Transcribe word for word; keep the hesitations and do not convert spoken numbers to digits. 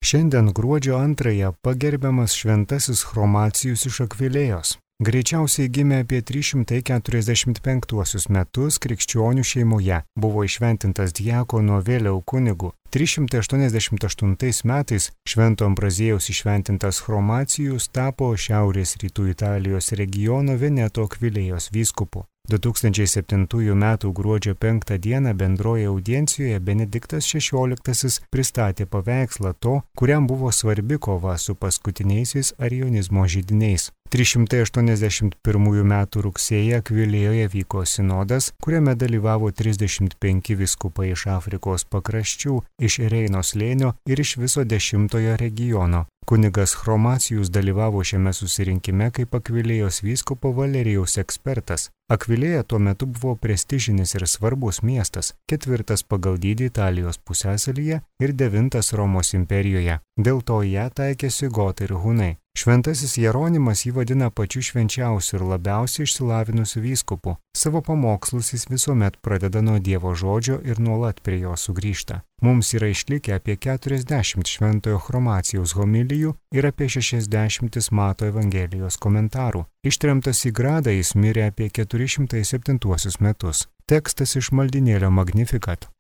Šiandien gruodžio antrąją pagerbiamas šventasis Chromacijus iš Akvilėjos. Greičiausiai gimė apie trys šimtai keturiasdešimt penktuosius metus krikščionių šeimoje, buvo įšventintas diakono, vėliau kunigu. trys šimtai aštuoniasdešimt aštuntais metais Švento Ambraziejaus įšventintas Chromacijus tapo Šiaurės rytų Italijos regiono Veneto Akvilėjos vyskupu. du tūkstančiai septintųjų metų gruodžio penktą dieną bendroje audiencijoje Benediktas šešioliktasis pristatė paveikslą to, kuriam buvo svarbi kova su paskutiniaisiais arionizmo židiniais. trys šimtai aštuoniasdešimt pirmųjų metų rugsėjį Akvilėjoje vyko sinodas, kuriame dalyvavo trisdešimt penki vyskupai iš Afrikos pakraščių, iš Reino slėnio ir iš viso dešimtojo regiono. Kunigas Chromacijus dalyvavo šiame susirinkime kaip Akvilėjos vyskupo Valerijaus ekspertas. Akvilėja tuo metu buvo prestižinis ir svarbus miestas, ketvirtas pagal dydį Italijos pusiasalyje ir devintas Romos imperijoje. Dėl to ją taikėsi gotai ir hunai. Šventasis Jeronimas jį vadina pačiu švenčiausiu ir labiausiai išsilavinusiu vyskupu. Savo pamokslus jis visuomet pradeda nuo Dievo žodžio ir nuolat prie jo sugrįžta. Mums yra išlikę apie keturiasdešimt šventojo Chromacijaus homilijų ir apie šešiasdešimt Mato Evangelijos komentarų. Ištremtas į Gradą jis mirė apie keturi šimtai septintuosius metus. Tekstas iš maldinėlio Magnificat.